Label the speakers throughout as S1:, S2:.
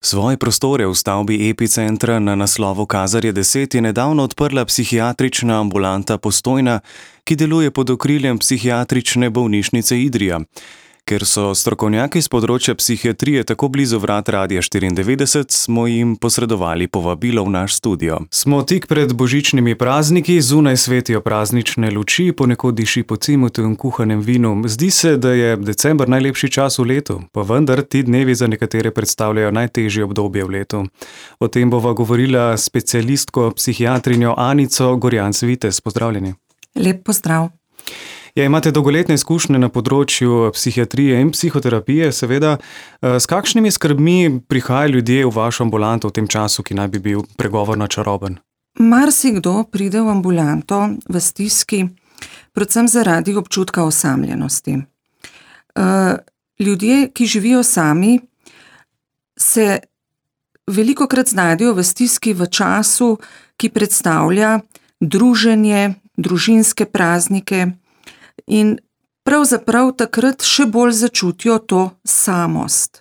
S1: Svoje prostore v stavbi Epicentra na naslovu Kazarje 10 je nedavno odprla psihiatrična ambulanta Postojna, ki deluje pod okriljem psihiatrične bolnišnice Idrija. Ker so strokovnjaki z področja psihiatrije tako blizu vrat Radia 94, smo jim posredovali povabilo v naš studio. Smo tik pred božičnimi prazniki, zunaj svetijo praznične luči, ponekod diši po cimetu in kuhanem vinu. Zdi se, da je december najlepši čas v letu, pa vendar ti dnevi za nekatere predstavljajo najtežje obdobje v letu. O tem bova govorila s specialistko psihiatrinjo Anico Gorjanc-Vitez. Pozdravljeni.
S2: Lep pozdrav.
S1: Ja, imate dolgoletne izkušnje na področju psihiatrije in psihoterapije, seveda. S kakšnimi skrbmi prihajajo ljudje v vašo ambulanto v tem času, ki naj bi bil pregovorno čaroben?
S2: Marsikdo pride v ambulanto v stiski, predvsem zaradi občutka osamljenosti. Ljudje, ki živijo sami, se velikokrat znajdejo v stiski v času, ki predstavlja druženje, družinske praznike, in pravzaprav takrat še bolj začutijo to samost.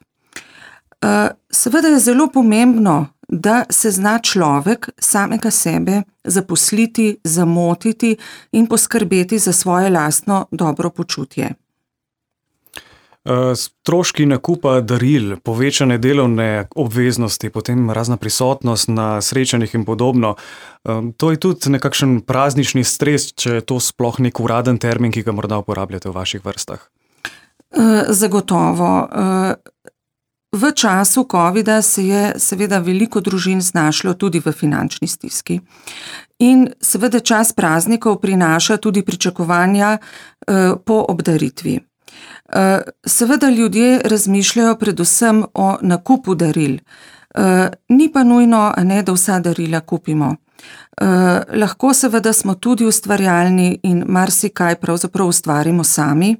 S2: Seveda je zelo pomembno, da se zna človek samega sebe zaposliti, zamotiti in poskrbeti za svoje lastno dobro počutje.
S1: Stroški nakupa daril, povečane delovne obveznosti, potem razna prisotnost na srečanjih in podobno. To je tudi nekakšen praznični stres, če je to sploh nek uraden termin, ki ga morda uporabljate v vaših vrstah.
S2: Zagotovo. V času covida se je seveda veliko družin znašlo tudi v finančni stiski. In seveda čas praznikov prinaša tudi pričakovanja po obdaritvi. Seveda ljudje razmišljajo predvsem o nakupu daril. Ni pa nujno, da vsa darila kupimo. Lahko seveda smo tudi ustvarjalni in marsikaj pravzaprav ustvarimo sami.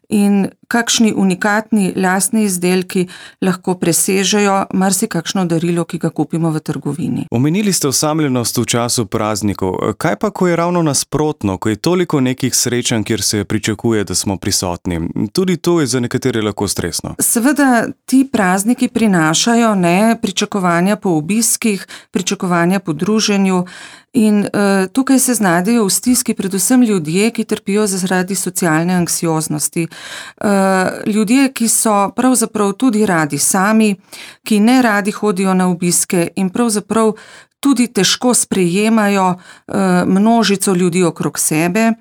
S2: In kakšni unikatni lastni izdelki lahko presežejo marsikakšno darilo, ki ga kupimo v trgovini.
S1: Omenili ste osamljenost v času praznikov. Kaj pa, ko je ravno nasprotno, ko je toliko nekih srečanj, kjer se pričakuje, da smo prisotni? Tudi to je za nekatere lahko stresno.
S2: Seveda ti prazniki prinašajo pričakovanja po obiskih, pričakovanja po druženju. In tukaj se znajdejo v stiski predvsem ljudje, ki trpijo zaradi socialne anksioznosti. Ljudje, ki so pravzaprav tudi radi sami, ki ne radi hodijo na obiske in pravzaprav tudi težko sprejemajo množico ljudi okrog sebe.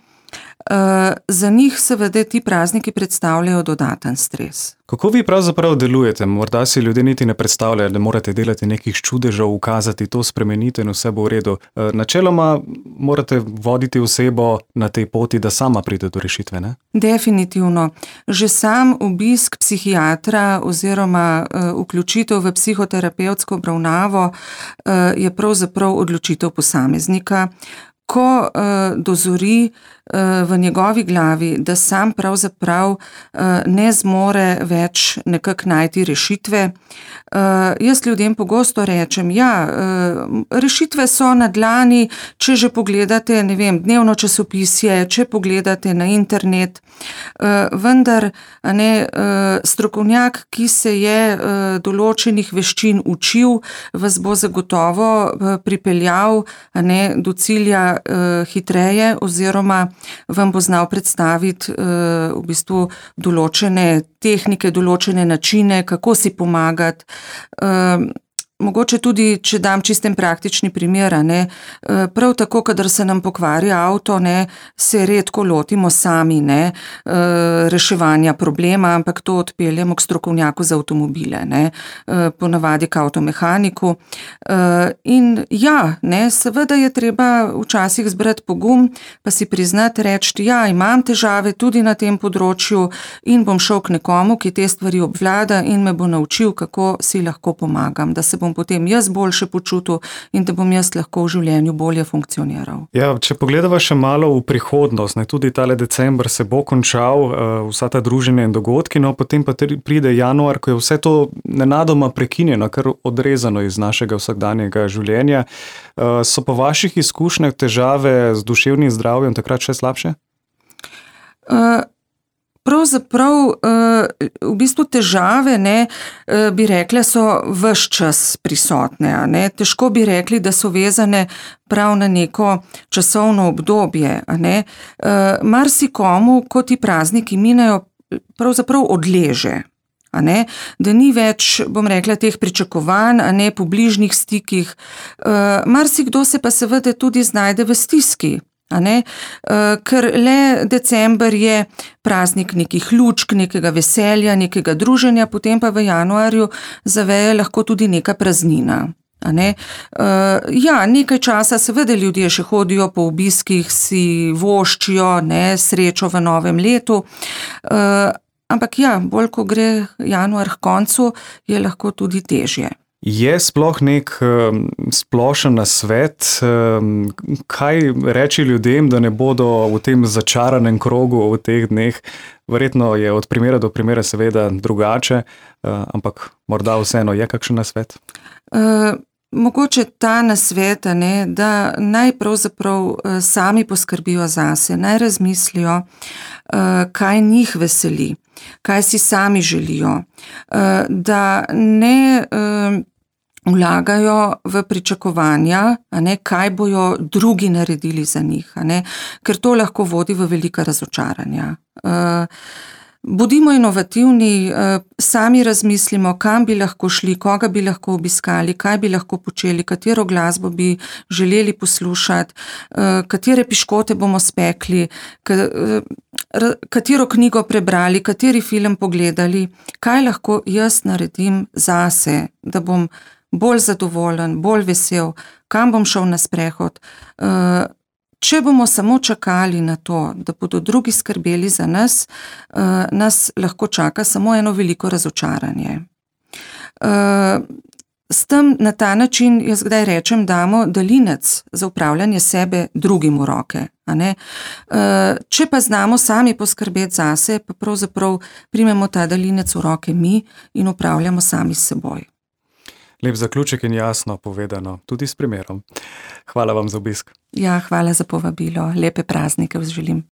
S2: Za njih seveda ti prazniki predstavljajo dodaten stres.
S1: Kako vi pravzaprav delujete? Morda si ljudje niti ne predstavljajo, da morate delati nekih čudežev, ukazati to, spremeniti in vse bo v redu. Načeloma morate voditi osebo na tej poti, da sama pride do rešitve, ne?
S2: Definitivno. Že sam obisk psihiatra oziroma vključitev v psihoterapevtsko obravnavo je pravzaprav odločitev posameznika. Ko dozori v njegovi glavi, da sam pravzaprav ne zmore več nekako najti rešitve. Jaz ljudem pogosto rečem, rešitve so na dlani, če že pogledate, dnevno časopisje, če pogledate na internet, vendar strokovnjak, ki se je določenih veščin učil, vas bo zagotovo pripeljal do cilja hitreje oziroma vam bo znal predstaviti v bistvu določene tehnike, določene načine, kako si pomagati. Mogoče tudi, če dam čisten praktični primer, prav tako, kadar se nam pokvari avto, se redko lotimo sami reševanja problema, ampak to odpeljemo k strokovnjaku za avtomobile, ponavadi k avtomehaniku. In seveda je treba včasih zbrati pogum, pa si priznati, reči, imam težave tudi na tem področju in bom šel k nekomu, ki te stvari obvlada in me bo naučil, kako si lahko pomagam, da se bom potem jaz boljše počutil in da bom jaz lahko v življenju bolje funkcioniral.
S1: Če pogledava še malo v prihodnost, tudi tale december se bo končal, vsa ta druženja in dogodki, potem pa pride januar, ko je vse to nenadoma prekinjeno, kar odrezano iz našega vsakdanjega življenja. So po vaših izkušnjah težave z duševnim zdravjem takrat še slabše?
S2: Pravzaprav v bistvu težave, bi rekla, so ves čas prisotne. Težko bi rekli, da so vezane prav na neko časovno obdobje. Marsikomu, ko ti prazniki minejo, pravzaprav odleže. Da ni več, bom rekla, teh pričakovanj, po bližnjih stikih. Marsikdo se pa seveda tudi znajde v stiski. Ker le december je praznik nekih lučk, nekega veselja, nekega druženja, potem pa v januarju zaveje lahko tudi neka praznina. Nekaj časa seveda ljudje še hodijo po obiskih, si voščijo srečo v novem letu, ampak bolj ko gre januar k koncu, je lahko tudi težje.
S1: Je sploh nek splošen nasvet, kaj reči ljudem, da ne bodo v tem začaranem krogu v teh dneh? Verjetno je od primera do primera seveda drugače, ampak morda vseeno je kakšen nasvet?
S2: Mogoče ta nasvet, da naj pravzaprav sami poskrbijo zase, naj razmislijo, kaj njih veseli, kaj si sami želijo, da ne vlagajo v pričakovanja, kaj bojo drugi naredili za njih, ker to lahko vodi v velika razočaranja. Bodimo inovativni, sami razmislimo, kam bi lahko šli, koga bi lahko obiskali, kaj bi lahko počeli, katero glasbo bi želeli poslušati, katere piškote bomo spekli, katero knjigo prebrali, kateri film pogledali, kaj lahko jaz naredim zase, da bom bolj zadovoljen, bolj vesel, kam bom šel na sprehod. Če bomo samo čakali na to, da bodo drugi skrbeli za nas, nas lahko čaka samo eno veliko razočaranje. S tem na ta način, jaz kdaj rečem, damo daljinec za upravljanje sebe drugim v roke. Če pa znamo sami poskrbeti zase, pa pravzaprav primemo ta daljinec v roke mi in upravljamo sami s seboj.
S1: Lep zaključek in jasno povedano, tudi s primerom. Hvala vam za obisk.
S2: Hvala za povabilo. Lepe praznike želim.